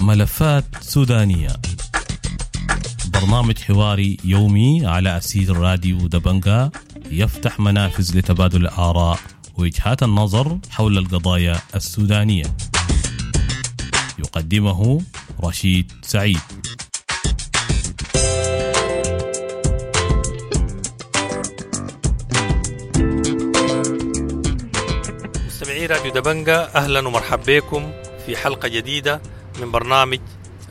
ملفات سودانية، برنامج حواري يومي على أسير راديو دبنجا، يفتح منافذ لتبادل الآراء ووجهات النظر حول القضايا السودانية. يقدمه رشيد سعيد. مستمعي راديو دبنجا، أهلا ومرحبا بكم في حلقة جديدة من برنامج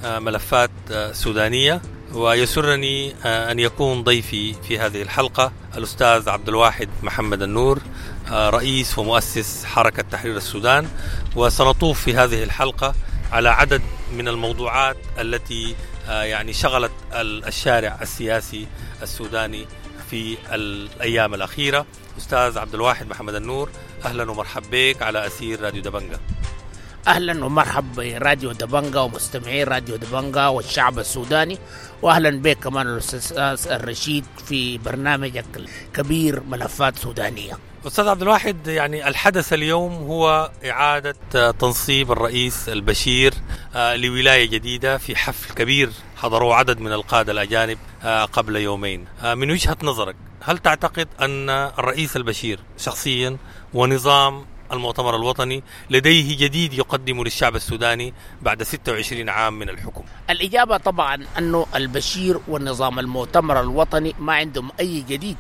ملفات سودانية. ويسرني أن يكون ضيفي في هذه الحلقة الأستاذ عبد الواحد محمد النور، رئيس ومؤسس حركة تحرير السودان. وسنطوف في هذه الحلقة على عدد من الموضوعات التي يعني شغلت الشارع السياسي السوداني في الأيام الأخيرة. أستاذ عبد الواحد محمد النور، أهلا ومرحبا بك على أسير راديو دبنجا. اهلا ومرحبا براديو دبنجا ومستمعين راديو دبنجا والشعب السوداني، واهلا بك كمان الاستاذ الرشيد في برنامجك الكبير ملفات سودانيه. استاذ عبد الواحد، يعني الحدث اليوم هو اعاده تنصيب الرئيس البشير لولاية جديدة في حفل كبير حضروه عدد من القادة الاجانب قبل يومين. من وجهه نظرك، هل تعتقد ان الرئيس البشير شخصيا ونظام المؤتمر الوطني لديه جديد يقدم للشعب السوداني بعد 26 عام من الحكم؟ الإجابة طبعا أنه البشير والنظام المؤتمر الوطني ما عندهم أي جديد.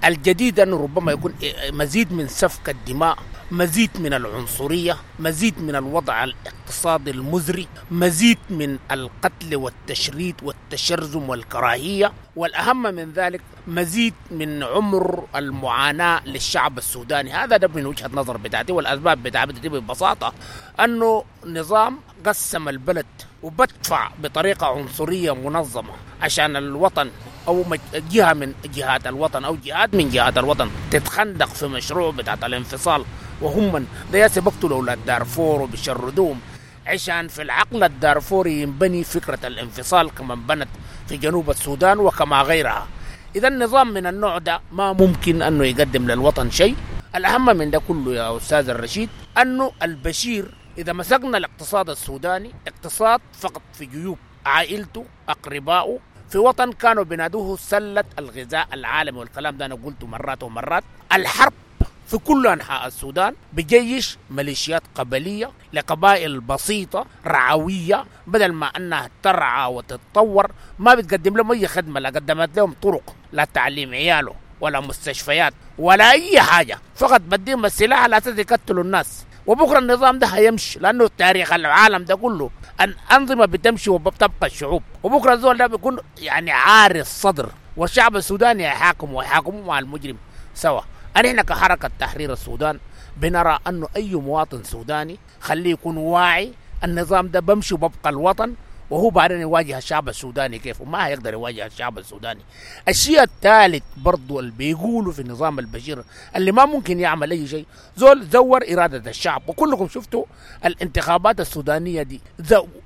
الجديد أنه ربما يكون مزيد من سفك الدماء، مزيد من العنصرية، مزيد من الوضع الاقتصادي المزري، مزيد من القتل والتشريد والتشرذم والكراهية، والأهم من ذلك مزيد من عمر المعاناة للشعب السوداني. هذا ده من وجهة نظر بتاعتي، والأسباب بتاعتي ببساطة أنه نظام قسم البلد وبدفع بطريقة عنصرية منظمة عشان الوطن أو جهة من جهات الوطن أو جهات من جهات الوطن تتخندق في مشروع بتاعت الانفصال، وهم من ده بيقتلوا أولاد دارفور وبيشردوهم عشان في العقل الدارفوري ينبني فكرة الانفصال كما انبنت في جنوب السودان وكما غيرها. إذا النظام من النوع ده ما ممكن أنه يقدم للوطن شيء. الأهم من ده كله يا أستاذ الرشيد أنه البشير إذا مسكنا الاقتصاد السوداني، اقتصاد فقط في جيوب عائلته أقربائه في وطن كانوا بينادوه سلة الغذاء العالمي، والكلام ده أنا قلته مرات ومرات. الحرب في كل أنحاء السودان بجيش ميليشيات قبلية لقبائل بسيطة رعوية، بدل ما أنها ترعى وتتطور ما بتقدم لهم أي خدمة، لا قدمت لهم طرق، لا تعليم عياله ولا مستشفيات ولا أي حاجة، فقط بديهم السلاح على أساس يقتلوا الناس. وبكرة النظام ده هيمشي، لأنه تاريخ العالم ده كله أن أنظمة بتمشي وبتبقى الشعوب، وبكرة الزول ده بيكون يعني عاري الصدر، والشعب السوداني يحاكم ويحاكموا مع المجرم سوا. نحن كحركة تحرير السودان بنرى أنه أي مواطن سوداني خليه يكون واعي، النظام ده بمشي وببقى الوطن، وهو بعدين يواجه الشعب السوداني كيف، وما هيقدر يواجه الشعب السوداني. الشيء الثالث برضو اللي بيقولوا في النظام البشير اللي ما ممكن يعمل أي شيء، زول زور إرادة الشعب، وكلكم شفتوا الانتخابات السودانية دي،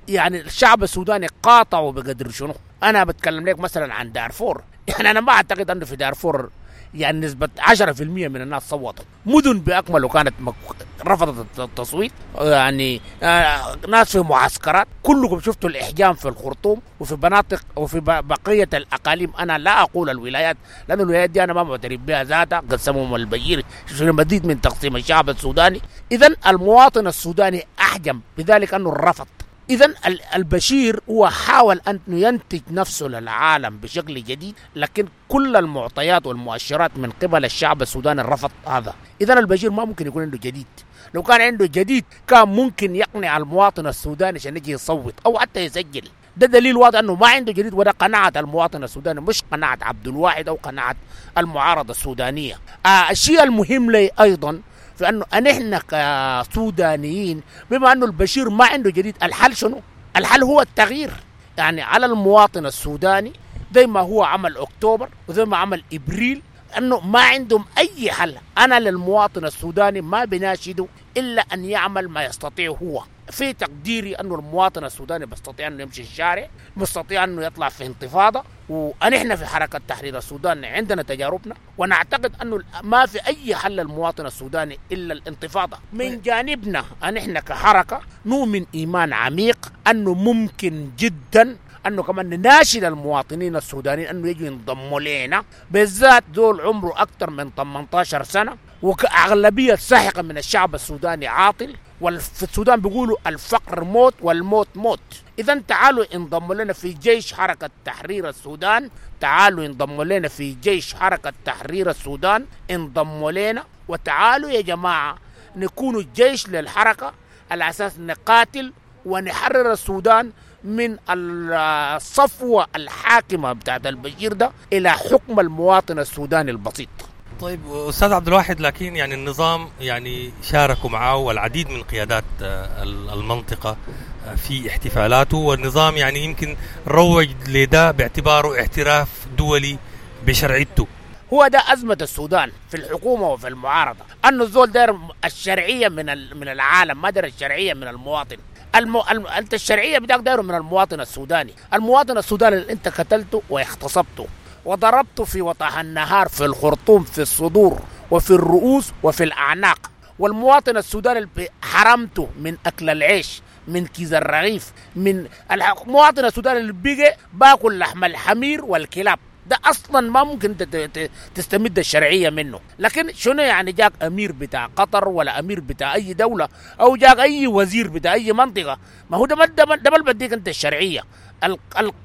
يعني الشعب السوداني قاطعوا بقدر شنو. أنا بتكلم لك مثلا عن دارفور، يعني أنا ما أعتقد أنه في دارفور يعني نسبة 10% من الناس صوتت، مدن بأكمله كانت رفضت التصويت، يعني ناس في معسكرات. كلكم شفتوا الإحجام في الخرطوم وفي مناطق وفي بقية الأقاليم. أنا لا أقول الولايات لأن الولايات دي أنا ما معترف بها ذاتها، قسمهم البشير مزيد من تقسيم الشعب السوداني. إذن المواطن السوداني أحجم بذلك أنه رفض. إذن البشير هو حاول أن ينتج نفسه للعالم بشكل جديد، لكن كل المعطيات والمؤشرات من قبل الشعب السوداني رفض هذا. إذن البشير ما ممكن يكون عنده جديد. لو كان عنده جديد كان ممكن يقنع المواطن السوداني عشان يجي يصوت أو حتى يسجل. ده دليل واضح أنه ما عنده جديد، وده قناعة المواطن السوداني، مش قناعة عبد الواحد أو قناعة المعارضة السودانية. الشيء المهم لي أيضا فأنه نحن كسودانيين بما أنه البشير ما عنده جديد، الحل شنو؟ الحل هو التغيير. يعني على المواطن السوداني زي ما هو عمل أكتوبر وزي ما عمل إبريل، أنه ما عندهم أي حل. أنا للمواطن السوداني ما بناشده إلا أن يعمل ما يستطيع هو. في تقديري أنه المواطن السوداني بيستطيع أنه يمشي الشارع، بيستطيع أنه يطلع في انتفاضة، ونحن في حركة تحرير السودان عندنا تجاربنا، ونعتقد أنه ما في أي حل للمواطن السوداني إلا الانتفاضة. من جانبنا نحن كحركة نؤمن إيمان عميق أنه ممكن جدا أنه كمان نناشد المواطنين السودانيين أنه يجوا ينضموا لنا، بالذات دول عمره أكثر من 18 سنة، وأغلبية ساحقة من الشعب السوداني عاطل، وفي السودان بيقولوا الفقر موت والموت موت. إذا تعالوا انضموا لنا في جيش حركة تحرير السودان، تعالوا انضموا لنا في جيش حركة تحرير السودان، انضموا لنا وتعالوا يا جماعة نكونوا جيش للحركة على أساس نقاتل ونحرر السودان من الصفوة الحاكمة بتاعت البشير ده إلى حكم المواطن السوداني البسيط. طيب أستاذ عبد الواحد، لكن يعني النظام يعني شاركوا معه والعديد من قيادات المنطقة في احتفالاته، والنظام يعني يمكن روج لده باعتباره اعتراف دولي بشرعيته. هو ده أزمة السودان في الحكومة وفي المعارضة، أنه الزول داير الشرعية من العالم، ما داير الشرعية من المواطن. أنت الشرعية بتاعك دايره من المواطن السوداني، المواطن السوداني اللي أنت قتلته واغتصبته وضربته في وضح النهار في الخرطوم، في الصدور وفي الرؤوس وفي الأعناق، والمواطن السوداني اللي حرمته من أكل العيش، من كيس الرغيف، من المواطن السوداني اللي بيجي باكل لحم الحمير والكلاب، ده اصلا ما ممكن تستمد الشرعية منه. لكن شنو يعني جاك امير بتاع قطر ولا امير بتاع اي دولة او جاك اي وزير بتاع اي منطقة؟ ما هو ده ما بديك انت الشرعية.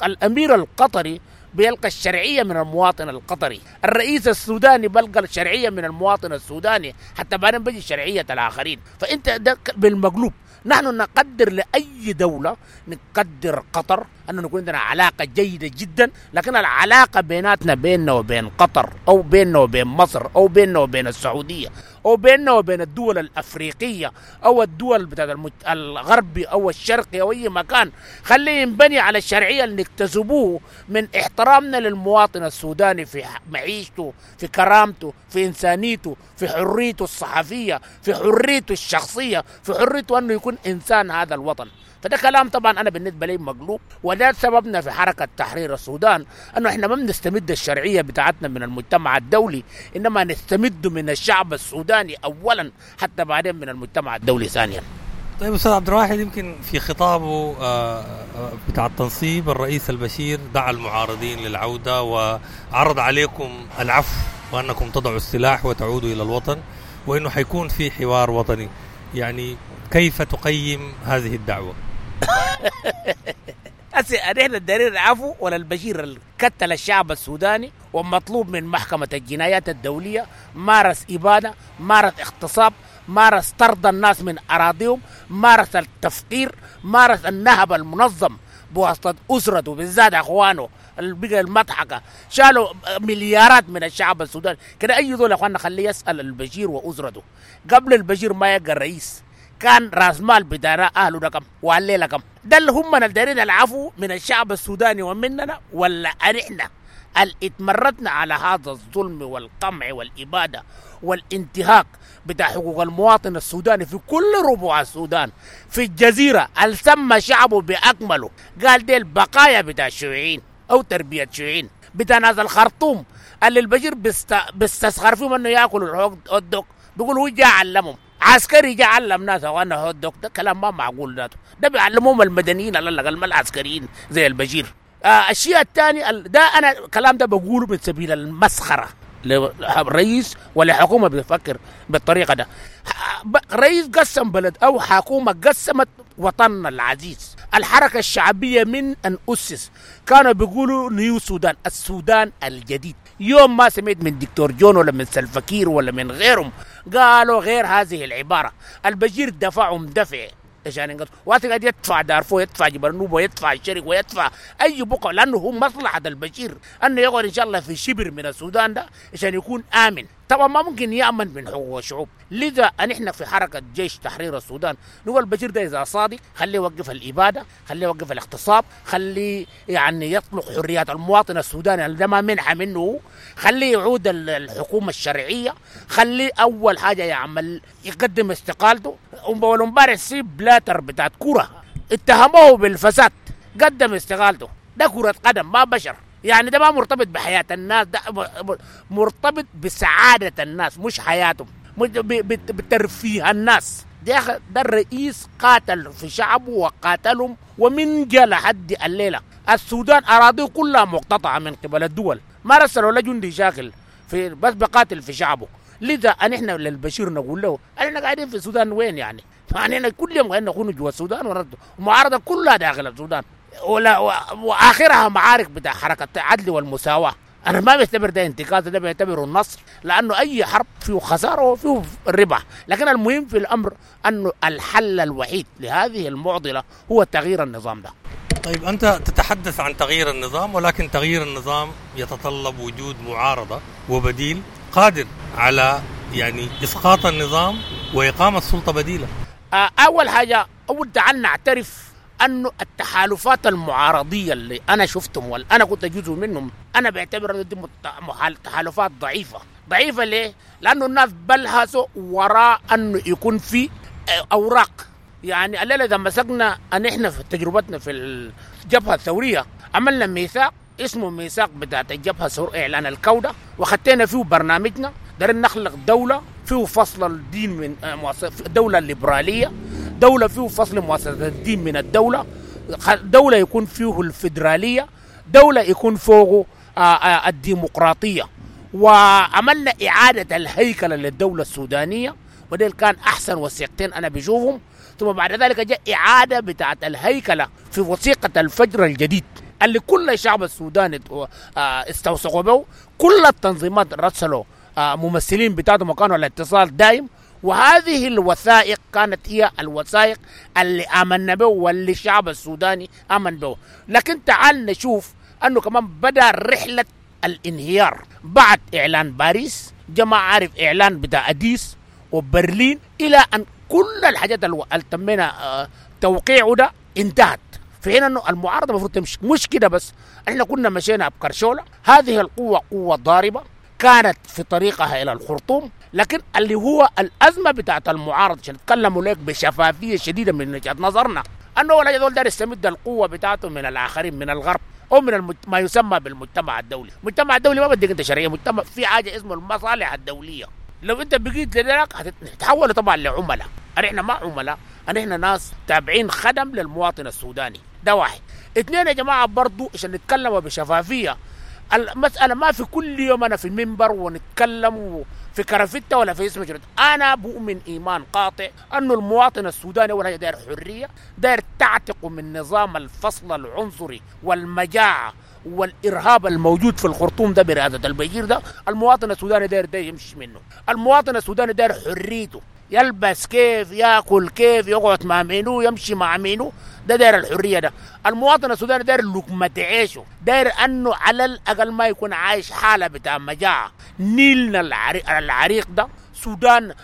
الامير القطري بيلقى الشرعية من المواطن القطري، الرئيس السوداني بيلقى الشرعية من المواطن السوداني، حتى بعدين بيجي شرعية الاخرين. فانت ده بالمقلوب. نحن نقدر لأي دولة، نقدر قطر أنه نكون عندنا علاقة جيدة جدا، لكن العلاقة بيناتنا بيننا وبين قطر أو بيننا وبين مصر أو بيننا وبين السعودية أو بيننا وبين الدول الأفريقية أو الدول بتاعت الغربي أو الشرقي أو أي مكان، خليه ينبني على الشرعية اللي نكتسبوه من احترامنا للمواطن السوداني في معيشته، في كرامته، في إنسانيته، في حريته الصحفية، في حريته الشخصية، في حريته أنه يكون إنسان هذا الوطن. فده كلام طبعا أنا بالنسبة لي مقلوب، وده سببنا في حركة تحرير السودان، أنه إحنا ما بنستمد الشرعية بتاعتنا من المجتمع الدولي، إنما نستمد من الشعب السوداني أولا، حتى بعدين من المجتمع الدولي ثانيا. طيب أستاذ عبد الواحد، يمكن في خطابه بتاع التنصيب الرئيس البشير دعا المعارضين للعودة وعرض عليكم العفو وأنكم تضعوا السلاح وتعودوا إلى الوطن، وأنه حيكون في حوار وطني. يعني كيف تقيم هذه الدعوة؟ نحن الدليل العفو ولا البشير قتل الشعب السوداني ومطلوب من محكمة الجنايات الدولية، مارس إبادة، مارس اغتصاب، مارس طرد الناس من أراضيهم، مارس التفقير، مارس النهب المنظم بواسطة أسرته بالذات أخوانه اللي بقى المضحكة، شالوا مليارات من الشعب السوداني كده. أي دول أخواننا خليه يسأل البشير وأسرته. قبل البشير ما يبقى الرئيس كان راس مال بتاعنا اهله ده كم وعلينا كم؟ ده اللي هم دايرين العفو من الشعب السوداني ومننا، ولا احنا اللي اتمردنا على هذا الظلم والقمع والاباده والانتهاك بتاع حقوق المواطن السوداني في كل ربوع السودان، في الجزيرة اللي سمى شعبه باكمله قال دي البقايا بتاع الشيوعيين او تربيه شيوعيين، بتاع ناس الخرطوم اللي البشير بيستسخر فيهم انه ياكلوا الهوت دوغ، بيقول هو جاء علمهم، عسكري جاء علم ناس وانا هوت دوغ. ده كلام ما معقول ذاته، ده بيعلموهم المدنيين على الاقل ما العسكريين زي البشير. الشيء الثاني ده انا الكلام ده بقوله من سبيل المسخره لرئيس ولا حكومة بتفكر بالطريقة ده. رئيس قسم بلد او حكومة قسمت وطننا العزيز. الحركة الشعبية من ان اسس كانوا بيقولوا new Sudan، السودان الجديد. يوم ما سمعت من دكتور جون ولا من سلفكير ولا من غيرهم قالوا غير هذه العبارة. البشير دفعهم دفع عشان ينقص، وقت قاعد يدفع دارفور، يدفع جبل نوبه، ويدفع الشرق، ويدفع اي بقعة، لانه هو مصلحة البشير انه يقعد ان شاء الله في شبر من السودان ده عشان يكون امن. طبعا ما ممكن يأمن من حقوق الشعوب. لذا نحن في حركة جيش تحرير السودان نقول البشير ده إذا صادق خليه يوقف الإبادة، خليه يوقف الاغتصاب، خليه يعني يطلق حريات المواطن السوداني ده ما منحة منه، خليه يعود الحكومة الشرعية، خليه أول حاجة يعمل يقدم استقالته. والامبارح سيب بلاتر بتاعت كرة اتهموه بالفساد، قدم استقالته. ده كرة قدم ما بشر، يعني ده ما مرتبط بحياة الناس، ده مرتبط بسعادة الناس مش حياتهم، بترفيه الناس. ده الرئيس قاتل في شعبه وقاتلهم، ومن جاء لحد الليلة السودان أراضيه كلها مقتطعة من قبل الدول، ما رسلوا لا جندي شاكل في بس بقاتل في شعبه. لذا نحن للبشير نقول له احنا قاعدين في السودان وين يعني؟ فاحنا كل يوم قاعدين نكون جوا السودان ومعارضة كلها داخل السودان، ولا واخرها معارك بتاع حركة العدل والمساواة. انا ما بعتبر ده انتكاسه، ده بعتبره النصر، لانه اي حرب فيه خسارة وفيه ربح، لكن المهم في الامر انه الحل الوحيد لهذه المعضلة هو تغيير النظام ده. طيب انت تتحدث عن تغيير النظام، ولكن تغيير النظام يتطلب وجود معارضة وبديل قادر على يعني اسقاط النظام واقامه سلطة بديله. اول حاجة، اول تعال نعترف انه التحالفات المعارضيه اللي انا شفتهم واللي انا كنت جزء منهم، انا بعتبر دي تحالفات ضعيفة. ضعيفة ليه؟ لانه الناس بلهسوا وراء انه يكون في اوراق. يعني الليلة اذا مسكنا ان احنا في تجربتنا في الجبهة الثورية عملنا ميثاق اسمه ميثاق بتاعت الجبهة الثورية اعلان الكوده، وخدينا فيه برنامجنا، دارين نخلق دولة فيه فصل الدين من دولة ليبرالية، دولة فيه فصل مؤسسة الدين من الدولة، دولة يكون فيه الفيدرالية، دولة يكون فوقه الديمقراطية. وعملنا إعادة الهيكلة للدولة السودانية، وده كان أحسن وثيقتين أنا بشوفهم. ثم بعد ذلك جاء إعادة بتاعت الهيكلة في وثيقة الفجر الجديد اللي كل الشعب السوداني استوثقوا به، كل التنظيمات رسلوا ممثلين بتاعتهم وكانوا على اتصال دائم. وهذه الوثائق كانت هي الوثائق اللي آمنا به واللي الشعب السوداني آمن به. لكن تعال نشوف أنه كمان بدأ رحلة الانهيار بعد إعلان باريس، جماعة عارف إعلان بتاع أديس وبرلين، إلى أن كل الحاجات اللي تمينا توقيعه ده انتهت. في حين أنه المعارضة المفروض تمشي، مش كده بس، احنا كنا مشينا بكرشولة، هذه القوة قوة ضاربة كانت في طريقها إلى الخرطوم. لكن اللي هو الأزمة بتاعت المعارضة عشان نتكلموا لك بشفافية شديدة من وجهة نظرنا، أنه ولا يزول دار يستمد القوة بتاعته من الآخرين، من الغرب أو من ما يسمى بالمجتمع الدولي. المجتمع الدولي ما بدك أنت شرعية، مجتمع في حاجة اسمه المصالح الدولية. لو أنت بقيت لذلك هتتحول طبعا لعملاء. احنا ما عملاء، احنا ناس تابعين خدم للمواطن السوداني. ده واحد. اثنين يا جماعة برضو عشان نتكلم بشفافية، المسألة ما في كل يوم أنا في المنبر ونتكلم في كرافتة ولا في اسم جرد. أنا بؤمن إيمان قاطع أنه المواطن السوداني أول حاجة داير حرية، داير تعتقه من نظام الفصل العنصري والمجاعة والإرهاب الموجود في الخرطوم ده برئاسة البشير ده. المواطن السوداني داير ده يمشي منه. المواطن السوداني داير حريته، يلبس كيف، ياكل كيف، يقعد مع مينو، يمشي مع مينو، ده داير الحرية ده. المواطن السوداني داير لقمة عيشه، داير انه على الاقل ما يكون عايش حاله بتاع مجاعة. نيلنا العريق ده، سودان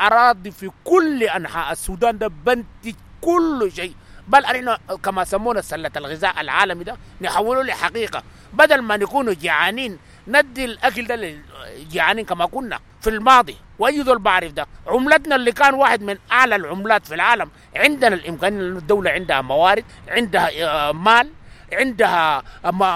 اراضي في كل انحاء السودان ده بنتج كل شيء، بل احنا كما سمونا سله الغذاء العالمي ده نحوله لحقيقة، بدل ما نكونوا جعانين ندي الاكل ده للجعانين كما كنا في الماضي. واي ذول بعرف ده عملتنا اللي كان واحد من اعلى العملات في العالم، عندنا الامكانية، الدولة عندها موارد، عندها مال، عندها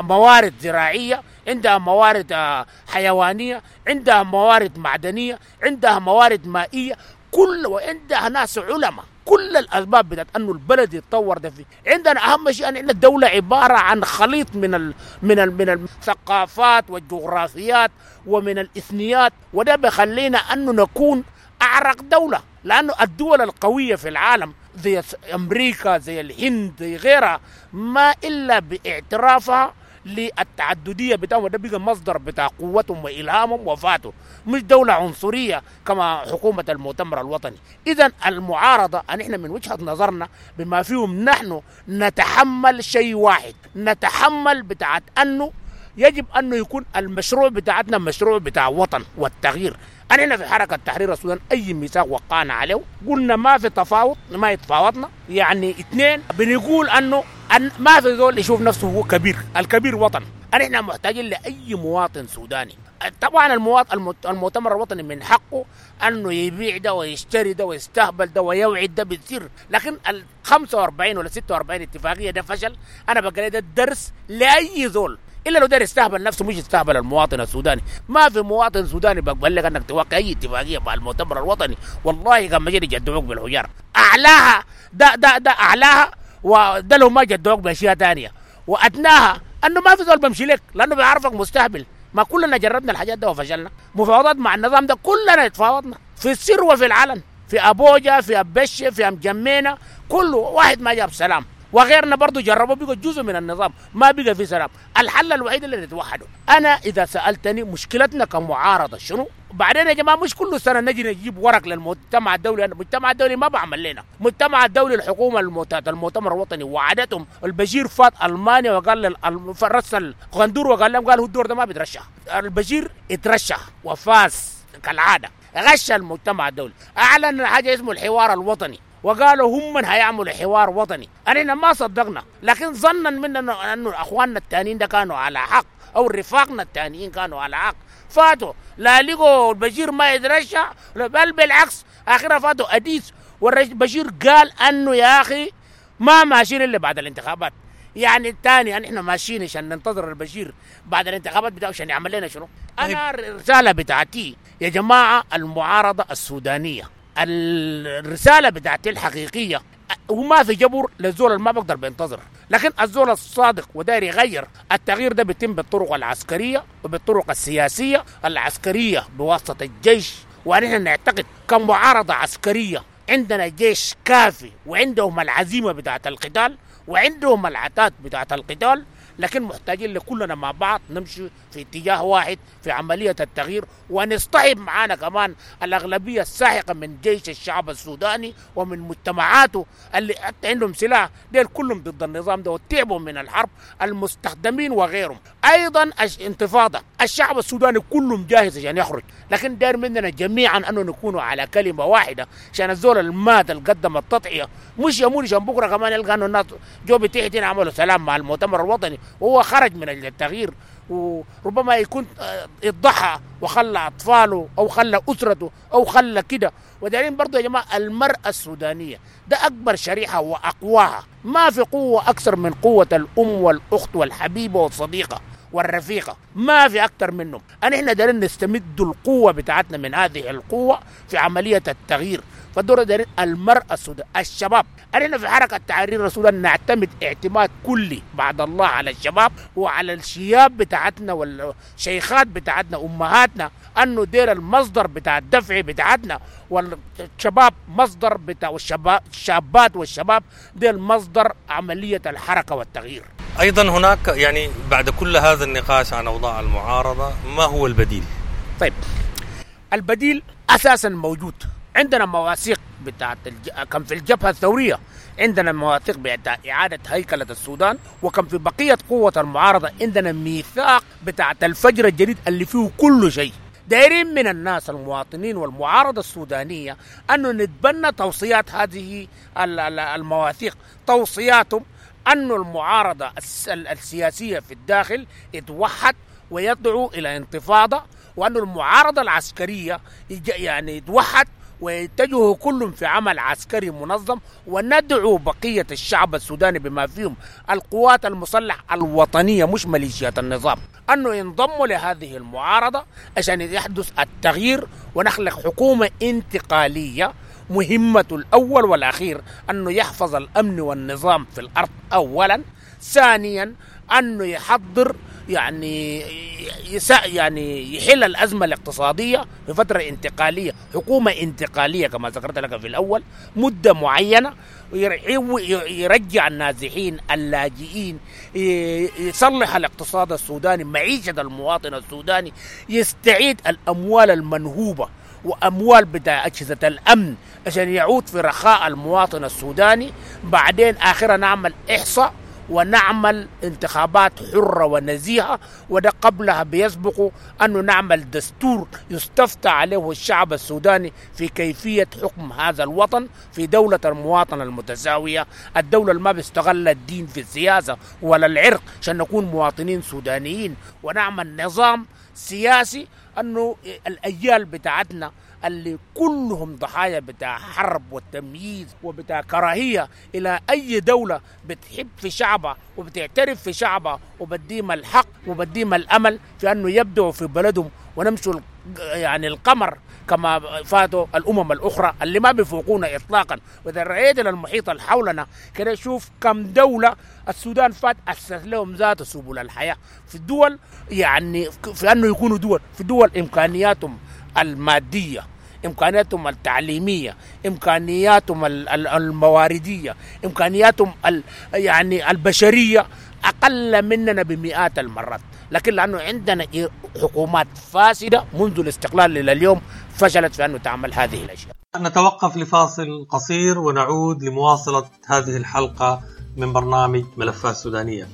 موارد زراعية، عندها موارد حيوانية، عندها موارد معدنية، عندها موارد مائية، كل وعندها ناس علماء. كل الاسباب بتاعت انه البلد يتطور ده فيه. عندنا اهم شيء ان الدولة عبارة عن خليط من من الثقافات والجغرافيات ومن الاثنيات، وده بخلينا انه نكون اعرق دولة، لانه الدول القوية في العالم زي امريكا، زي الهند، زي غيرها، ما الا باعترافها للتعددية بتاعهم، وده بقى مصدر بتاع قوتهم وإلهامهم وفاتهم، مش دولة عنصرية كما حكومة المؤتمر الوطني. إذا المعارضة نحن من وجهة نظرنا بما فيهم نحن نتحمل شيء واحد، نتحمل بتاعت أنه يجب انه يكون المشروع بتاعتنا مشروع بتاع وطن والتغيير. احنا في حركة تحرير السودان اي ميثاق وقعنا عليه قلنا ما في تفاوض، ما يتفاوضنا. يعني اثنين بنقول انه أن ما في زول يشوف نفسه هو كبير، الكبير وطن. احنا محتاجين لاي مواطن سوداني. طبعا المواطن المؤتمر الوطني من حقه انه يبيع ده ويشتري ده ويستهبل ده ويوعد ده بالسر، لكن ال 45 ولا 46 اتفاقية ده فشل. انا بقول ده درس لاي زول، الا لو داير يستهبل نفسه مش يستهبل المواطن السوداني. ما في مواطن سوداني بقبل لك انك توقع اي اتفاقية مع المؤتمر الوطني، والله كان ما يجدعوك بالحجار. اعلاها ده ده ده اعلاها، وده لو ما جدعوك باشياء ثانية. وادناها انه ما في زول بمشي لك لانه بيعرفك مستهبل. ما كلنا جربنا الحاجات ده وفشلنا. مفاوضات مع النظام ده كلنا اتفاوضنا في السر وفي العلن، في ابوجا، في ابشه، في امجمينه، كله واحد ما جاب سلام. وغيرنا برضو جربوا بقوا جزء من النظام، ما بقى في سلام. الحل الوحيد اللي نتوحدوا. انا اذا سالتني مشكلتنا كمعارضه شنو؟ بعدين يا جماعة مش كل سنة نجي نجيب ورق للمجتمع الدولي، المجتمع الدولي ما بعمل لنا. المجتمع الدولي الحكومة المؤتمر الوطني وعدتهم. البشير فات المانيا وقال رسل غندور وقال لهم، قال هو الدور ده ما بيترشح. البشير اترشح وفاز كالعادة، غش المجتمع الدولي، اعلن حاجة اسمه الحوار الوطني، وقالوا هم من هيعملوا حوار وطني. احنا ما صدقنا، لكن ظنا منا انه اخواننا التانيين ده كانوا على حق، او رفاقنا التانيين كانوا على حق. فاتوا لا لقوا البشير ما يترشح، بل بالعكس اخرها فاتوا اديس. والبشير قال انه يا اخي ما ماشيين الا بعد الانتخابات. يعني الثاني ان احنا ماشيين عشان ننتظر البشير بعد الانتخابات بتاعه عشان يعمل لنا شنو؟ انا الرسالة بتاعتي يا جماعة المعارضة السودانية، الرسالة بتاعتي الحقيقية، وما في جبر للزول اللي ما بقدر بينتظر، لكن الزول الصادق وداير يغير، التغيير ده بيتم بالطرق العسكرية وبالطرق السياسية. العسكرية بواسطة الجيش، ونحن نعتقد كمعارضه عسكرية عندنا جيش كافي وعندهم العزيمة بتاعت القتال وعندهم العتاد بتاعت القتال، لكن محتاجين لكلنا مع بعض نمشي في اتجاه واحد في عملية التغيير، ونصطحب معانا كمان الأغلبية الساحقة من جيش الشعب السوداني ومن مجتمعاته اللي حتى عندهم سلاح، ديل كلهم ضد النظام ده وتعبوا من الحرب، المستخدمين وغيرهم. أيضا انتفاضة الشعب السوداني كلهم جاهز عشان يخرج، لكن داير مننا جميعا أنه نكونوا على كلمة واحدة عشان الزول المات اللي قدم التضحية مش يمون عشان بكرة كمان يلقى أنه الناس جو بتحتين عملوا سلام مع المؤتمر الوطني وهو خرج من التغيير، وربما يكون اتضحى وخلى أطفاله أو خلى أسرته أو خلى كده. ودارين برضو يا جماعة المرأة السودانية ده أكبر شريحة وأقواها، ما في قوة أكثر من قوة الأم والأخت والحبيبة والصديقة والرفيقة، ما في أكثر منهم. احنا دارين نستمد القوة بتاعتنا من هذه القوة في عملية التغيير. فالدور دارين المرأة السودانية، الشباب. احنا في حركة تحرير السودان نعتمد اعتماد كلي بعد الله على الشباب وعلى الشياب بتاعتنا والشيخات بتاعتنا أمهاتنا، أنه دير المصدر بتاع الدفع بتاعتنا، والشباب مصدر بتاع الشابات والشباب دير مصدر عملية الحركة والتغيير. أيضا هناك يعني بعد كل هذا النقاش عن أوضاع المعارضة، ما هو البديل؟ طيب البديل أساسا موجود، عندنا مواثيق بتاعت كان في الجبهة الثورية، عندنا مواثيق بتاع إعادة هيكلة السودان، وكان في بقية قوة المعارضة عندنا ميثاق بتاعت الفجر الجديد اللي فيه كل شيء. دايرين من الناس المواطنين والمعارضة السودانية أنه نتبنى توصيات هذه المواثيق. توصياتهم أن المعارضة السياسية في الداخل يتوحد ويدعو إلى انتفاضة، وأن المعارضة العسكرية يعني يتوحد ويتجهوا كلهم في عمل عسكري منظم، وندعو بقية الشعب السوداني بما فيهم القوات المسلحة الوطنية مش ميليشيات النظام أنه ينضموا لهذه المعارضة عشان يحدث التغيير ونخلق حكومة انتقالية مهمة الأول والأخير أنه يحفظ الأمن والنظام في الأرض أولا، ثانيا أنه يحضر يعني يحل الأزمة الاقتصادية في فترة انتقالية، حكومة انتقالية كما ذكرت لك في الأول، مدة معينة، يرجع النازحين اللاجئين، يصلح الاقتصاد السوداني، معيشة المواطن السوداني، يستعيد الأموال المنهوبة وأموال بتاع أجهزة الأمن عشان يعود في رخاء المواطن السوداني. بعدين آخرا نعمل إحصاء ونعمل انتخابات حرة ونزيهة، وده قبلها بيسبق أنه نعمل دستور يستفتى عليه الشعب السوداني في كيفية حكم هذا الوطن في دولة المواطنة المتساوية، الدولة اللي ما بيستغل الدين في السياسة ولا العرق، عشان نكون مواطنين سودانيين، ونعمل نظام سياسي أنه الأجيال بتاعتنا اللي كلهم ضحايا بتاع حرب والتمييز وبتاع كراهية إلى أي دولة بتحب في شعبها وبتعترف في شعبها وبديهم الحق وبديهم الأمل في أنه يبدعوا في بلدهم ونمشوا يعني القمر كما فاتوا الأمم الأخرى اللي ما بيفوقونا إطلاقا. وإذا رأيت المحيط اللي حولنا كده شوف كم دولة السودان فات أسس لهم ذات سبل الحياة في الدول، يعني في أنه يكونوا دول في دول إمكانياتهم المادية، إمكانياتهم التعليمية، إمكانياتهم المواردية، إمكانياتهم يعني البشرية أقل مننا بمئات المرات، لكن لأنه عندنا حكومات فاسدة منذ الاستقلال إلى اليوم فشلت في أنه تعمل هذه الأشياء. نتوقف لفاصل قصير ونعود لمواصلة هذه الحلقة من برنامج ملفات سودانية.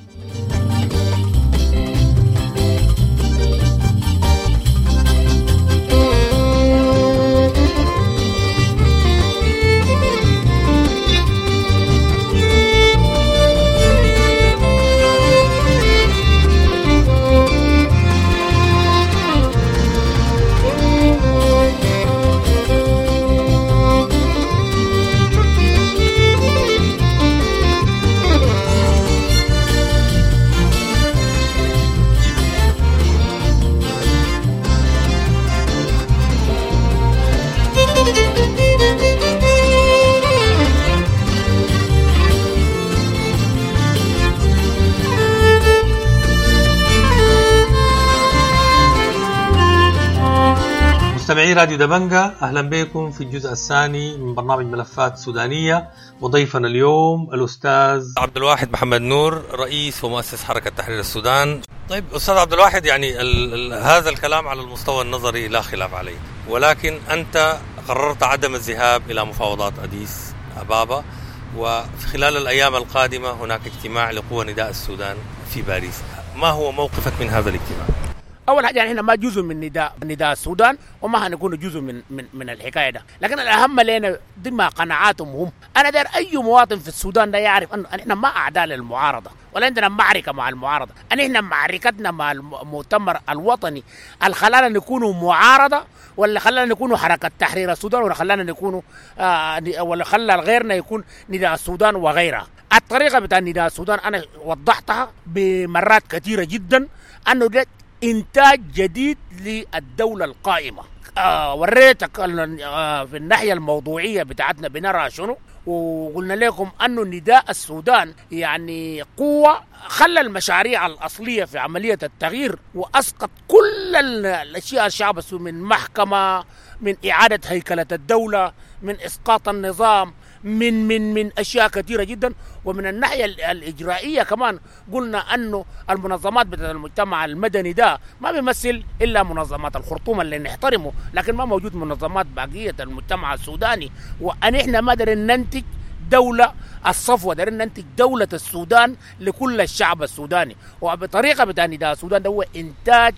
مستمعي راديو دبنجة، أهلا بكم في الجزء الثاني من برنامج ملفات سودانية، وضيفنا اليوم الأستاذ عبد الواحد محمد نور، رئيس ومؤسس حركة تحرير السودان. طيب أستاذ عبد الواحد، يعني هذا الكلام على المستوى النظري لا خلاف عليه، ولكن أنت قررت عدم الذهاب إلى مفاوضات أديس أبابا، وفي خلال الأيام القادمة هناك اجتماع لقوى نداء السودان في باريس، ما هو موقفك من هذا الاجتماع؟ اول حاجة يعني احنا ما جزء من نداء السودان، وما هنكون جزء من من من الحكاية ده، لكن الاهم لنا دي ما قناعاتهم هم. انا داير اي مواطن في السودان ده يعرف انه احنا ما اعداء للمعارضه ولا عندنا معركة مع المعارضة، ان احنا معركتنا مع المؤتمر الوطني اللي خلانا نكونوا معارضة، ولا خلانا نكونوا حركة تحرير السودان، ولا خلانا نكونوا ولا خلى غيرنا يكون نداء السودان وغيرها. الطريقة بتاع نداء السودان انا وضحتها بمرات كثيرة جدا، انه ده إنتاج جديد للدولة القائمة. وريتك في الناحية الموضوعية بتاعتنا بنرى شنو، وقلنا لكم أنه نداء السودان يعني قوة خلى المشاريع الأصلية في عملية التغيير، وأسقط كل الأشياء الشعب السوداني من محكمة، من إعادة هيكلة الدولة، من إسقاط النظام، من من من أشياء كثيرة جدا. ومن الناحية الإجرائية كمان قلنا أنه المنظمات بتاعت المجتمع المدني ده ما بيمثل إلا منظمات الخرطوم اللي نحترمه، لكن ما موجود منظمات بقية المجتمع السوداني. وأن إحنا ما دارين ننتج دولة الصفوة، دارين ننتج دولة السودان لكل الشعب السوداني، وبطريقة بتاع نداء السودان ده هو إنتاج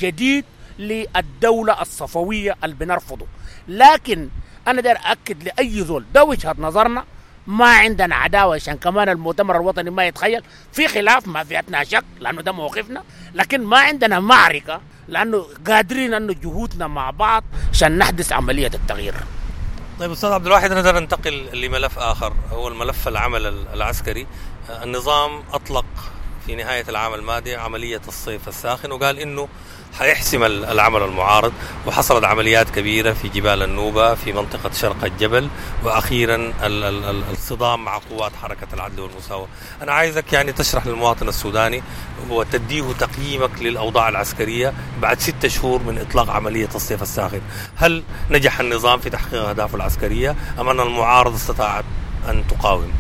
جديد للدولة الصفوية اللي بنرفضه. لكن أنا داير أكد لأي زول ده وجهة نظرنا، ما عندنا عداوة عشان كمان المؤتمر الوطني ما يتخيل في خلاف، ما فيتنا شك لأنه ده موقفنا، لكن ما عندنا معركة لأنه قادرين أنه جهودنا مع بعض عشان نحدث عملية التغيير. طيب أستاذ عبد الواحد، نقدر ننتقل لملف آخر هو الملف العمل العسكري. النظام أطلق في نهاية العام الماضي عملية الصيف الساخن، وقال إنه حيحسم العمل المعارض، وحصلت عمليات كبيرة في جبال النوبة، في منطقة شرق الجبل، وأخيرا الصدام مع قوات حركة العدل والمساواة. أنا عايزك يعني تشرح للمواطن السوداني وتديه تقييمك للأوضاع العسكرية بعد 6 شهور من إطلاق عملية الصيف الساخن. هل نجح النظام في تحقيق أهدافه العسكرية أم أن المعارضة استطاعت أن تقاوم؟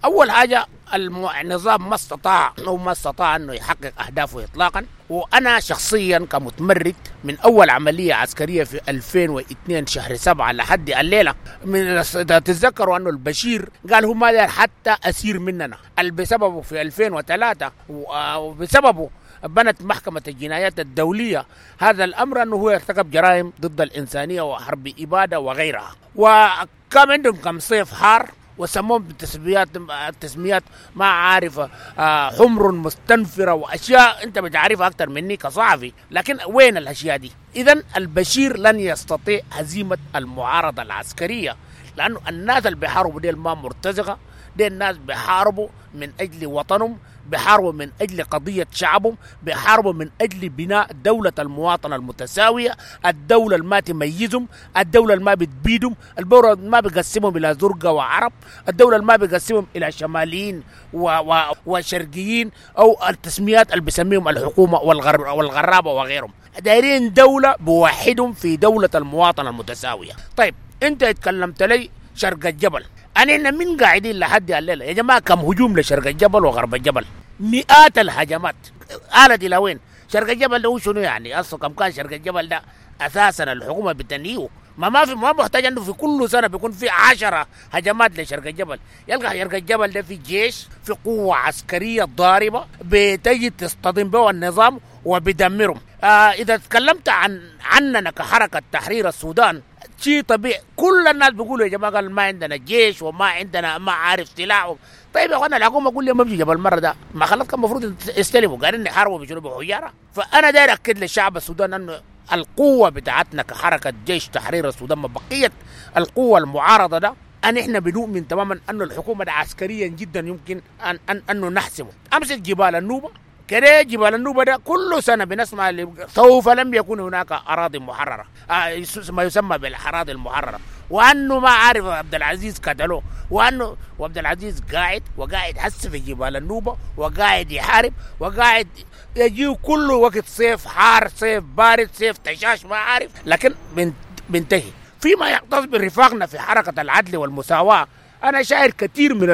أول حاجة النظام ما استطاع أو ما استطاع أنه يحقق أهدافه إطلاقا. وأنا شخصيا كمتمرد من أول عملية عسكرية في 2002 شهر 7 لحد الليلة، من تتذكروا أنه البشير قال هو ما داير حتى أسير مننا، اللي بسببه في 2003 وبسببه بنت محكمة الجنايات الدولية هذا الأمر، أنه هو ارتكب جرائم ضد الإنسانية وحرب إبادة وغيرها. وكان عندهم كم صيف حار وسموهم بتسميات تسميات ما عارفة، حمر مستنفرة وأشياء أنت بتعرفها أكثر مني كصحفي، لكن وين الأشياء دي؟ إذن البشير لن يستطيع هزيمة المعارضة العسكرية، لأنه الناس اللي بيحاربوا ديل ما مرتزقة، دي الناس بيحاربوا من أجل وطنهم، بيحاربوا من أجل قضية شعبهم، بيحاربوا من أجل بناء دولة المواطنة المتساوية، الدولة اللي ما تميزهم، الدولة اللي ما بتبيدهم، الدولة اللي ما بيقسمهم إلى زرقة وعرب، الدولة اللي ما بيقسمهم إلى شماليين وشرقيين أو التسميات اللي بيسميهم الحكومة والغرابة وغيرهم. دايرين دولة بوحدهم في دولة المواطنة المتساوية. طيب أنت اتكلمت لي شرق الجبل، أنا من قاعدين لحد الليلة يا جماعة كم هجوم لشرق الجبل وغرب الجبل؟ مئات الهجمات. آلت إلى وين؟ شرق الجبل ده شنو يعني؟ أصلا كم كان شرق الجبل ده أساسا الحكومة بتنهيه، ما في، ما محتاج أنه في كل سنة بيكون في 10 هجمات لشرق الجبل. يلقى شرق الجبل ده في جيش، في قوة عسكرية ضاربة بتجي تصطدم به النظام وبيدمرهم. إذا تكلمت عننا كحركة تحرير السودان شيء طبيعي، كل الناس بيقولوا يا جماعة قال ما عندنا جيش وما عندنا ما عارف سلاح. طيب يا اخوانا الحكومة قول لي ما بيجي جبل المرة ده، ما خلاص كان المفروض يستلموا، قاعدين يحاربوا بشنو؟ بحجارة. فانا داير اكد للشعب السوداني انه القوة بتاعتنا كحركه جيش تحرير السودان ما بقية القوة المعارضة ده، ان احنا بنؤمن تماما انه الحكومة ده عسكريا جدا يمكن ان ان انه نحسمه. امسك جبال النوبة كده، جبال النوبة ده كل سنة بنسمع سوف لم يكون هناك أراضي محررة، ما يسمى بالأراضي المحررة، وأنه ما عارف عبد العزيز قتلوه، وأنه وعبد العزيز قاعد وقاعد حس في جبال النوبة وقاعد يحارب وقاعد يجيه كل وقت صيف حار صيف بارد صيف تشاش ما عارف، لكن بنتهي. فيما يختص برفاقنا في حركة العدل والمساواة، أنا شاعر كثير من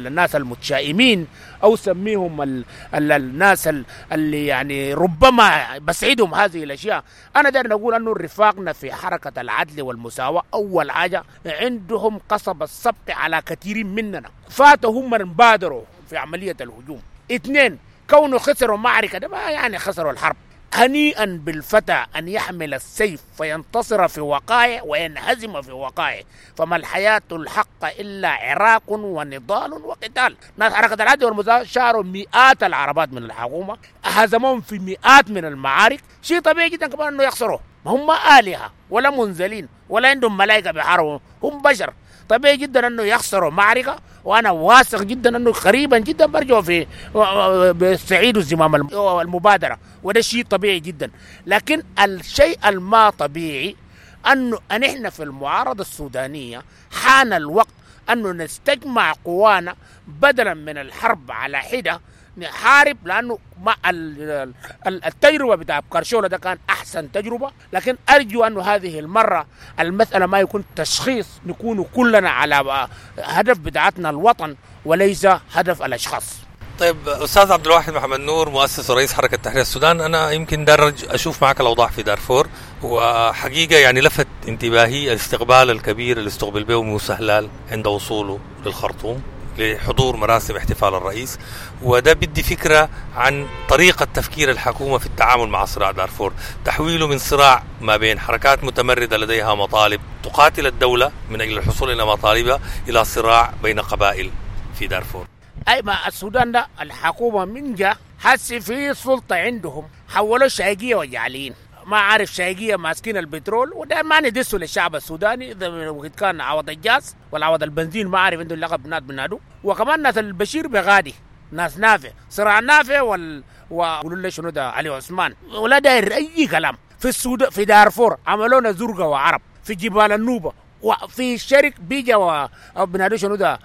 الناس المتشائمين أو سميهم الناس اللي يعني ربما بسعدهم هذه الأشياء. أنا داير نقول أنه رفاقنا في حركة العدل والمساواة أول حاجة عندهم قصب السبق على كثير مننا، فاتوا هم من بادروا في عملية الهجوم. 2، كونه خسروا معركة ده ما يعني خسروا الحرب. هنيئا بالفتى أن يحمل السيف فينتصر في وقائع وينهزم في وقائع، فما الحياة الحق إلا عراق ونضال وقتال. ناس حركة العدل والمساواة شاروا مئات العربات من الحكومة، هزمهم في مئات من المعارك، شيء طبيعي جدا كمان أنه يخسروا. ما هم آلهة ولا منزلين ولا عندهم ملائكة بيحاربوا، هم بشر. طبيعي جدا أنه يخسروا معركة، وأنا واثق جدا أنه قريبا جدا برجعوا في بيستعيدوا زمام المبادرة، وده شيء طبيعي جدا. لكن الشيء الما طبيعي أنه نحن في المعارضة السودانية حان الوقت أنه نستجمع قوانا بدلا من الحرب على حدة، نحارب، لأنه مع التجربة بتاع كرشولة ده كان أحسن تجربة. لكن أرجو أنه هذه المرة المسألة ما يكون تشخيص، نكون كلنا على هدف بتاعتنا الوطن وليس هدف الأشخاص. طيب أستاذ عبد الواحد محمد نور، مؤسس ورئيس حركة تحرير السودان، أنا يمكن درج أشوف معك الأوضاع في دارفور، وحقيقة يعني لفت انتباهي الاستقبال الكبير اللي استقبل به موسى هلال عند وصوله للخرطوم لحضور مراسم احتفال الرئيس، وده بدي فكرة عن طريقة تفكير الحكومة في التعامل مع صراع دارفور، تحويله من صراع ما بين حركات متمردة لديها مطالب تقاتل الدولة من أجل الحصول إلى مطالبها إلى صراع بين قبائل في دارفور. أي ما السودان ده الحكومة من جا حس في سلطة عندهم، حولوا شايقية وجعلين، ما عارف شايقية ماسكين البترول، وده ما ندسوا للشعب السوداني إذا وقت كان عوض الجاز ولا عوض البنزين، ما عارف عنده اللقب ناد بنادو. وكمان ناس البشير بغادي، ناس نافع، صراع نافع وقولوا لي شنو ده علي عثمان، ولا داير أي كلام. في السودان في دارفور عملونا زرقة وعرب، في جبال النوبة وفي الشرق بيجا وبنادو شنو ده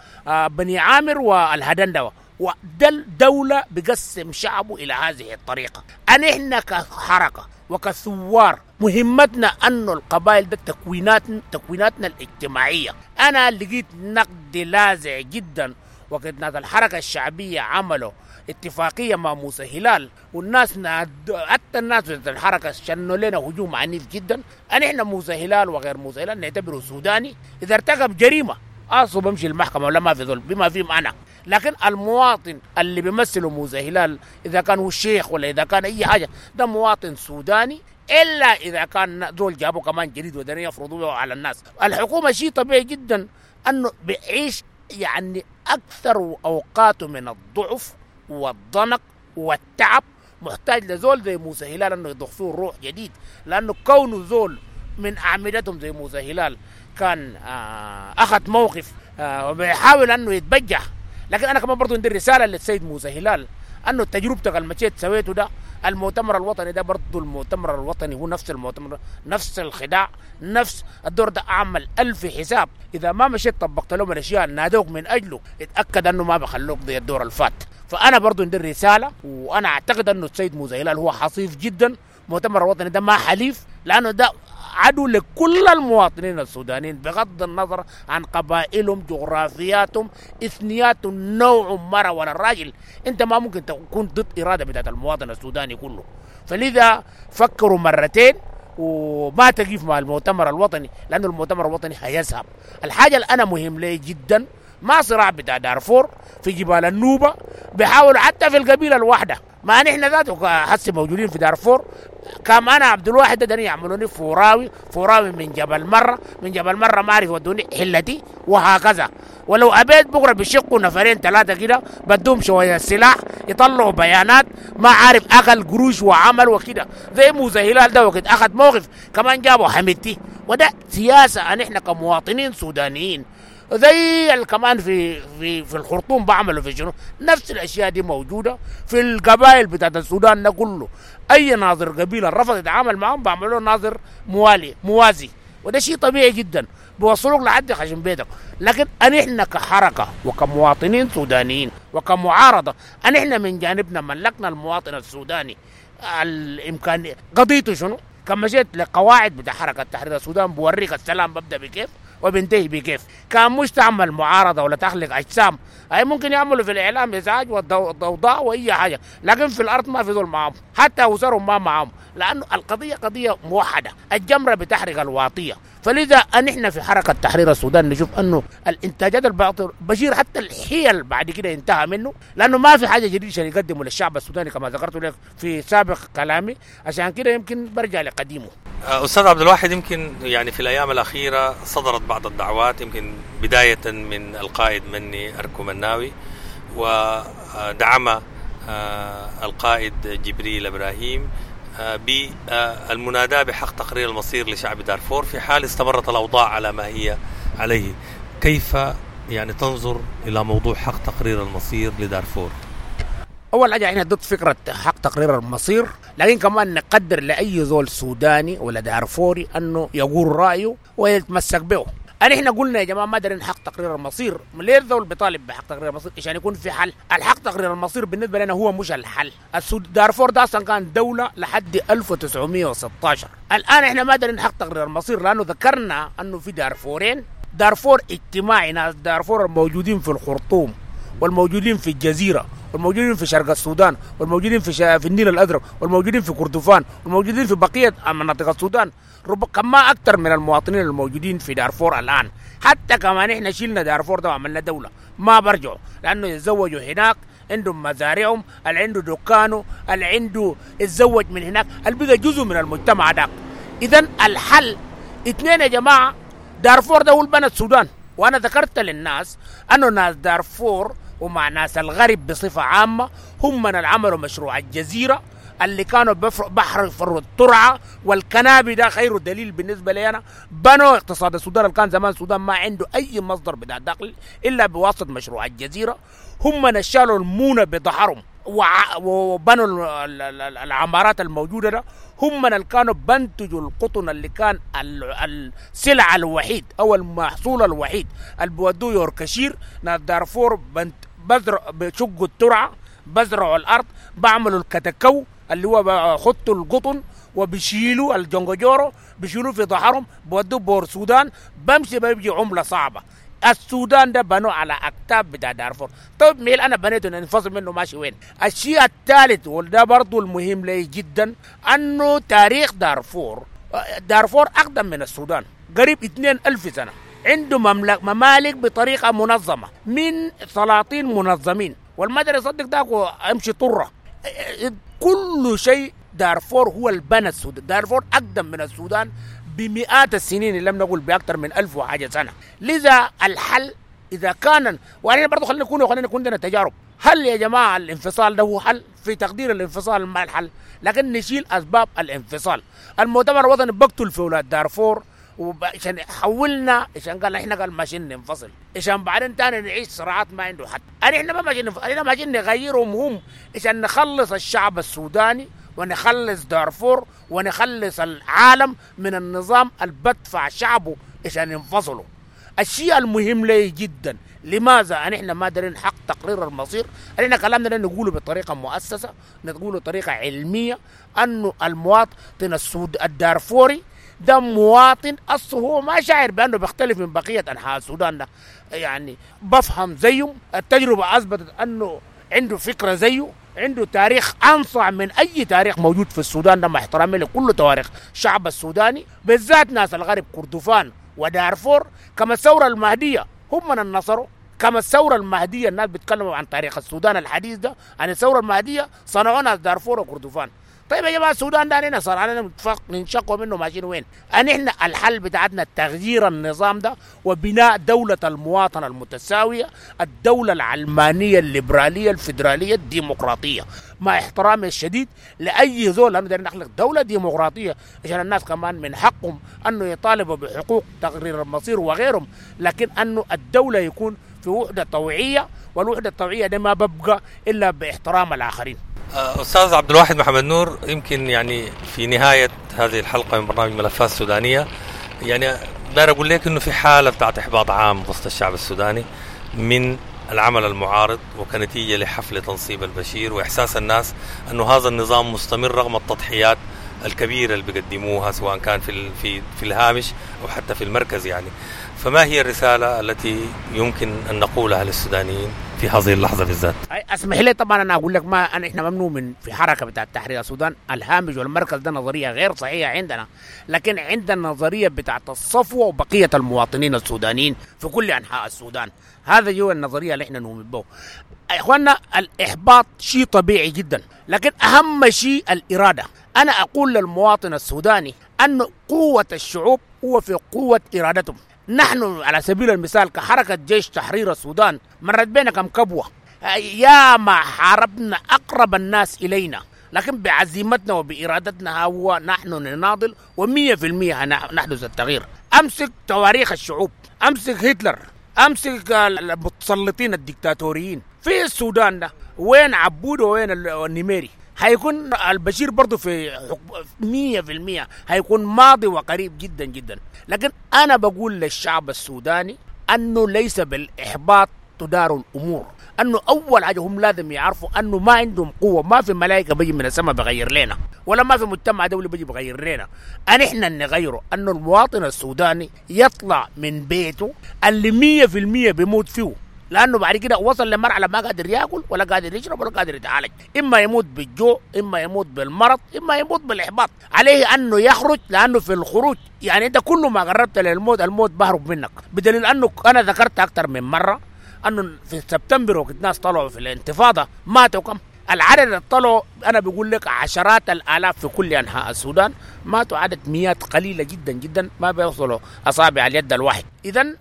بني عامر والهدندوة. وده الدولة بقسم شعبه إلى هذه الطريقة. أن إحنا كحركة وكثوار مهمتنا أنه القبائل ده تكويناتنا الاجتماعية. أنا لقيت نقد لاذع جدا وقت ناس الحركة الشعبية عملوا اتفاقية مع موسى هلال، والناس حتى الناس في الحركة شنوا لنا هجوم عنيف جدا. احنا موسى هلال وغير موسى هلال نعتبره سوداني، اذا ارتكب جريمة اصله بمشي المحكمة ولا ما في ظلم بما فيهم انا. لكن المواطن اللي بيمثله موسى هلال اذا كان هو الشيخ ولا اذا كان اي حاجة، ده مواطن سوداني، الا اذا كان زول جابوا كمان جديد ودنيا يفرضوه على الناس. الحكومة شيء طبيعي جدا انه بيعيش يعني اكثر اوقاته من الضعف والضنك والتعب، محتاج لزول زي موسى هلال انه يضخ فيه روح جديد، لانه كونه زول من اعمدتهم زي موسى هلال كان اخذ موقف وبيحاول انه يتبجح. لكن انا كمان برضه عندي رسالة للسيد موسى هلال، انه تجربتك اللي مشيت سويته ده، المؤتمر الوطني ده برضه المؤتمر الوطني هو نفس المؤتمر، نفس الخداع، نفس الدور ده. اعمل 1000 حساب، اذا ما مشيت طبقت لهم الاشياء نادوك من اجله، اتاكد انه ما بخلوك زي الدور الفات. فانا برضه عندي رسالة، وانا اعتقد انه السيد موسى هلال هو حصيف جدا. المؤتمر الوطني ده ما حليف، لانه ده عدو لكل المواطنين السودانيين بغض النظر عن قبائلهم، جغرافياتهم، اثنياتهم، نوع مرة ولا الراجل. انت ما ممكن تكون ضد إرادة بتاعت المواطن السوداني كله. فلذا فكروا مرتين وما تقف مع المؤتمر الوطني، لأنه المؤتمر الوطني هيذهب. الحاجة اللي أنا مهم لي جدا، ما صراع بتاع دارفور في جبال النوبة، بيحاولوا حتى في القبيلة الواحدة، ما نحن ذاته حسي موجودين في دارفور. كم أنا عبد الواحد ده يعملوني فوراوي، فوراوي من جبل مرة، من جبل مرة ما أعرف ودوني حلتي، وهكذا. ولو أبيت بكرة بيشقوا نفرين ثلاثة كده، بدوم شوية سلاح، يطلعوا بيانات ما عارف أكل قروش وعمل وكده، زي موسى هلال ده وقت أخذ موقف كمان جابوا حميدتي. وده سياسة نحن كمواطنين سودانيين، زي كمان في في في الخرطوم بعملوا في شنو، نفس الاشياء دي موجودة في القبائل بتاعت السودان ده كله. اي ناظر قبيلة رفض يتعامل معهم بعملوا ناظر موالي موازي، وده شيء طبيعي جدا، بيوصلوك لحد خشم بيتك. لكن احنا كحركه وكمواطنين سودانيين وكمعارضه، احنا من جانبنا ملكنا المواطن السوداني الامكانية، قضيته شنو؟ كما مشيت لقواعد بتاع حركة تحرير السودان بوريك السلام ببدا بكيف وبنتهي بكيف. كان مش تعمل معارضة ولا تخلق اجسام، اي ممكن يعملوا في الاعلام ازعاج والضوضاء واي حاجة، لكن في الارض ما في ذول معاهم، حتى اسرهم ما معاهم، لانه القضية قضية موحدة، الجمرة بتحرق الواطيه. فلذا نحن في حركة تحرير السودان نشوف انه الانتاجات الباطل بشير حتى الحيل بعد كده انتهى منه، لانه ما في حاجة جديدة عشان يقدمه للشعب السوداني كما ذكرت لك في سابق كلامي، عشان كده يمكن برجع لقديمه. أستاذ عبد الواحد، يمكن يعني في الأيام الأخيرة صدرت بعض الدعوات، يمكن بداية من القائد مني أركو مناوي، ودعم القائد جبريل إبراهيم بالمناداة بحق تقرير المصير لشعب دارفور في حال استمرت الأوضاع على ما هي عليه. كيف يعني تنظر إلى موضوع حق تقرير المصير لدارفور؟ أول حاجة احنا ضد فكرة حق تقرير المصير، لكن كمان نقدر لأي زول سوداني ولا دارفوري أنه يقول رأيه ويتمسك به. احنا قلنا يا جماعة ما دارين حق تقرير المصير، ليه الزول بيطالب بحق تقرير المصير؟ عشان يكون في حل. الحق تقرير المصير بالنسبة لنا هو مش الحل. دارفور ده أصلا كان دولة لحد 1916. الآن احنا ما دارين حق تقرير المصير لأنه ذكرنا أنه في دارفورين، دارفور اجتماعي، ناس دارفور الموجودين في الخرطوم والموجودين في الجزيرة والموجودين في شرق السودان والموجودين في النيل الأزرق والموجودين في كردفان والموجودين في بقية مناطق السودان، كما أكثر من المواطنين الموجودين في دارفور الآن. حتى كمان إحنا شلنا دارفور ده وعملنا دولة ما برجعوا، لأنه يتزوجوا هناك، عندهم مزارعهم، اللي عنده دكانه، اللي عنده اتزوج من هناك، اللي بقى جزء من المجتمع ده. إذن الحل اثنين يا جماعة، دارفور ده هو اللي بنى السودان. وأنا ذكرت للناس أنه ناس دارفور ومع ناس الغرب بصفة عامة هم من عملوا مشروع الجزيرة اللي كانوا بحر فروا الترعة والكنابي، ده خير دليل بالنسبة لي أنا. بنوا اقتصاد السودان اللي كان زمان السودان ما عنده أي مصدر بتاع دخل إلا بواسطة مشروع الجزيرة. هم من شالوا المونة بظهرهم وبنوا العمارات الموجودة ده. هم من اللي كانوا بنتجوا القطن اللي كان السلعة الوحيد أو المحصول الوحيد اللي بودوه يوركشير. ناس دارفور بشقوا الترعة، بزرعوا الأرض، بعملوا الكتكو اللي هو بخطوا القطن وبيشيلوا الجونجورو، بيشيلوا في ظهرهم بودوه بور السودان، بمشي بيجي عملة صعبة. السودان ده بنوا على اكتاف بتاع دارفور. طيب ميل انا بنيته ننفصل منه ماشي وين؟ الشيء الثالث وده برضو المهم لي جدا، انه تاريخ دارفور، دارفور اقدم من السودان قريب 2000 سنة، عنده ممالك بطريقة منظمة من سلاطين منظمين، والمدرسة يصدق داك امشي طره كل شيء. دارفور هو البنى السودان، دارفور اقدم من السودان بمئات السنين، لم نقول باكثر من 1000 وحاجه سنة. لذا الحل اذا كان، وانا برضه خلينا نكون عندنا تجارب، هل يا جماعة الانفصال ده هو حل؟ في تقدير الانفصال ما الحل، لكن نشيل اسباب الانفصال. المؤتمر الوطني بقتل في اولاد دارفور عشان حولنا، عشان قال احنا قال ماشيين ننفصل، عشان بعدين تاني نعيش صراعات ما عنده حد. احنا ما ماشيين ننفصل، احنا ماشيين نغيرهم هم عشان نخلص الشعب السوداني ونخلص دارفور ونخلص العالم من النظام اللي بدفع شعبه عشان ينفصلوا. الشيء المهم لي جدا، لماذا نحن ما دارين حق تقرير المصير؟ احنا كلامنا ده نقوله بطريقة مؤسسة، نقوله بطريقة علمية، انه المواطن الدارفوري ده مواطن اصله هو ما شاعر بانه بيختلف من بقية انحاء السودان ده، يعني بفهم زيهم، التجربة اثبتت انه عنده فكرة زيه، عنده تاريخ أنصع من أي تاريخ موجود في السودان ده، مع احترامي لكل تواريخ الشعب السوداني، بالذات ناس الغرب كردفان ودارفور. كما الثورة المهدية هم من النصروا، كما الثورة المهدية الناس بيتكلموا عن تاريخ السودان الحديث ده، عن الثورة المهدية صنعوا ناس دارفور وكردفان. طيب يا جماعة السودان ده علينا صار علينا ننشقوا منه ماشيين وين؟ احنا الحل بتاعتنا تغيير النظام ده وبناء دولة المواطنة المتساوية، الدولة العلمانية الليبرالية الفيدرالية الديمقراطية، مع احترامي الشديد لأي زول، لأنه دايرين نخلق دولة ديمقراطية عشان الناس كمان من حقهم أنه يطالبوا بحقوق تقرير المصير وغيرهم، لكن أنه الدولة يكون في وحدة طوعية، والوحدة الطوعية ده ما ببقى إلا باحترام الآخرين. أستاذ عبد الواحد محمد نور، يمكن يعني في نهاية هذه الحلقة من برنامج ملفات سودانية، يعني داير أقول لك إنه في حالة بتاعت إحباط عام وسط الشعب السوداني من العمل المعارض، وكنتيجة لحفل تنصيب البشير وإحساس الناس أنه هذا النظام مستمر رغم التضحيات الكبيرة اللي بيقدموها سواء كان في في الهامش أو حتى في المركز يعني. فما هي الرسالة التي يمكن أن نقولها للسودانيين في هذه اللحظة بالذات؟ اسمح لي طبعا أنا أقول لك، ما أنا إحنا ممنوع من في حركة بتاع تحرير السودان، الهامش والمركز ده نظرية غير صحيحة عندنا، لكن عندنا نظرية بتاعت الصفوة وبقية المواطنين السودانيين في كل أنحاء السودان، هذا هو النظرية اللي إحنا نؤمن به. إخواننا الإحباط شيء طبيعي جدا، لكن أهم شيء الإرادة. أنا أقول للمواطن السوداني أن قوة الشعوب هو في قوة إرادتهم. نحن على سبيل المثال كحركة جيش تحرير السودان مرت بينا كم كبوة، يا ما حاربنا أقرب الناس إلينا، لكن بعزيمتنا وبإرادتنا هو نحن نناضل و100% نحدث التغيير. أمسك تواريخ الشعوب، أمسك هتلر، أمسك المتسلطين الدكتاتوريين في السودان ده، وين عبود وين النميري؟ هيكون البشير برضه في 100% هيكون ماضي وقريب جدا جدا. لكن أنا بقول للشعب السوداني أنه ليس بالإحباط تدار الأمور، أنه أول حاجة هم لازم يعرفوا أنه ما عندهم قوة، ما في ملائكة بيجي من السماء بغير لنا، ولا ما في مجتمع دولي بيجي بغير لنا، أن إحنا نغيره. أنه المواطن السوداني يطلع من بيته اللي 100% بيموت فيه، لأنه بعد كده وصل لمرحلة ما قادر يأكل ولا قادر يشرب ولا قادر يتعالج، إما يموت بالجوع، إما يموت بالمرض، إما يموت بالإحباط. عليه أنه يخرج، لأنه في الخروج يعني أنت كل ما قربت للموت الموت بهرب منك، بدليل أنه أنا ذكرت أكثر من مرة أنه في سبتمبر وقت ناس طلعوا في الانتفاضة ماتوا كم؟ العدد اللي طلعوا أنا بقول لك عشرات الآلاف في كل أنحاء السودان، ماتوا عدد مئات قليلة جدا جدا ما بيوصلوا أصابع اليد الواحد. إذن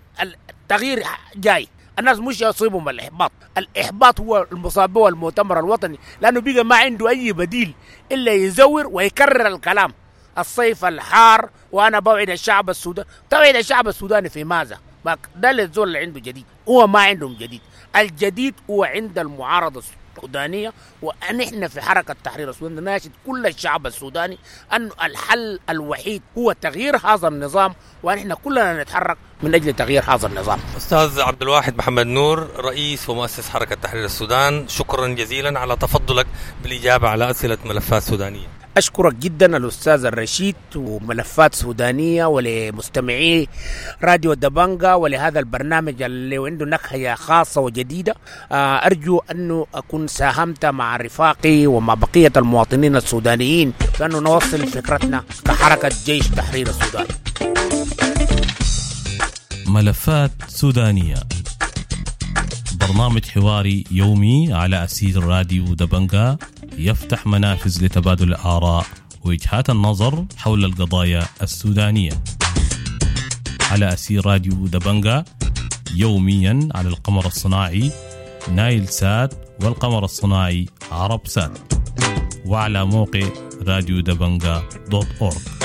التغيير جاي، الناس مش يصيبهم الإحباط، الإحباط هو المصاب به المؤتمر الوطني، لأنه بقى ما عنده أي بديل إلا يزور ويكرر الكلام. الصيف الحار وأنا بوعد الشعب السوداني، توعد الشعب السوداني في ماذا؟ ده الزول اللي عنده جديد، هو ما عندهم جديد، الجديد هو عند المعارضة السودانية. ونحن في حركة تحرير السودان نناشد كل الشعب السوداني أن الحل الوحيد هو تغيير هذا النظام، ونحن كلنا نتحرك من أجل تغيير هذا النظام. أستاذ عبد الواحد محمد نور، رئيس ومؤسس حركة تحرير السودان، شكرا جزيلا على تفضلك بالإجابة على أسئلة ملفات سودانية. أشكرك جدا الأستاذ الرشيد وملفات سودانية ولمستمعي راديو دبنجا ولهذا البرنامج اللي عنده نكهة خاصة وجديدة. أرجو أنه أكون ساهمت مع رفاقي ومع بقية المواطنين السودانيين بأنه نوصل فكرتنا كحركة جيش تحرير السودان. ملفات سودانية، برنامج حواري يومي على أسير راديو دبنجا، يفتح منافذ لتبادل الآراء ووجهات النظر حول القضايا السودانية على أسير راديو دبنجا، يوميا على القمر الصناعي نايل سات والقمر الصناعي عرب سات، وعلى موقع راديو دبنجا .org.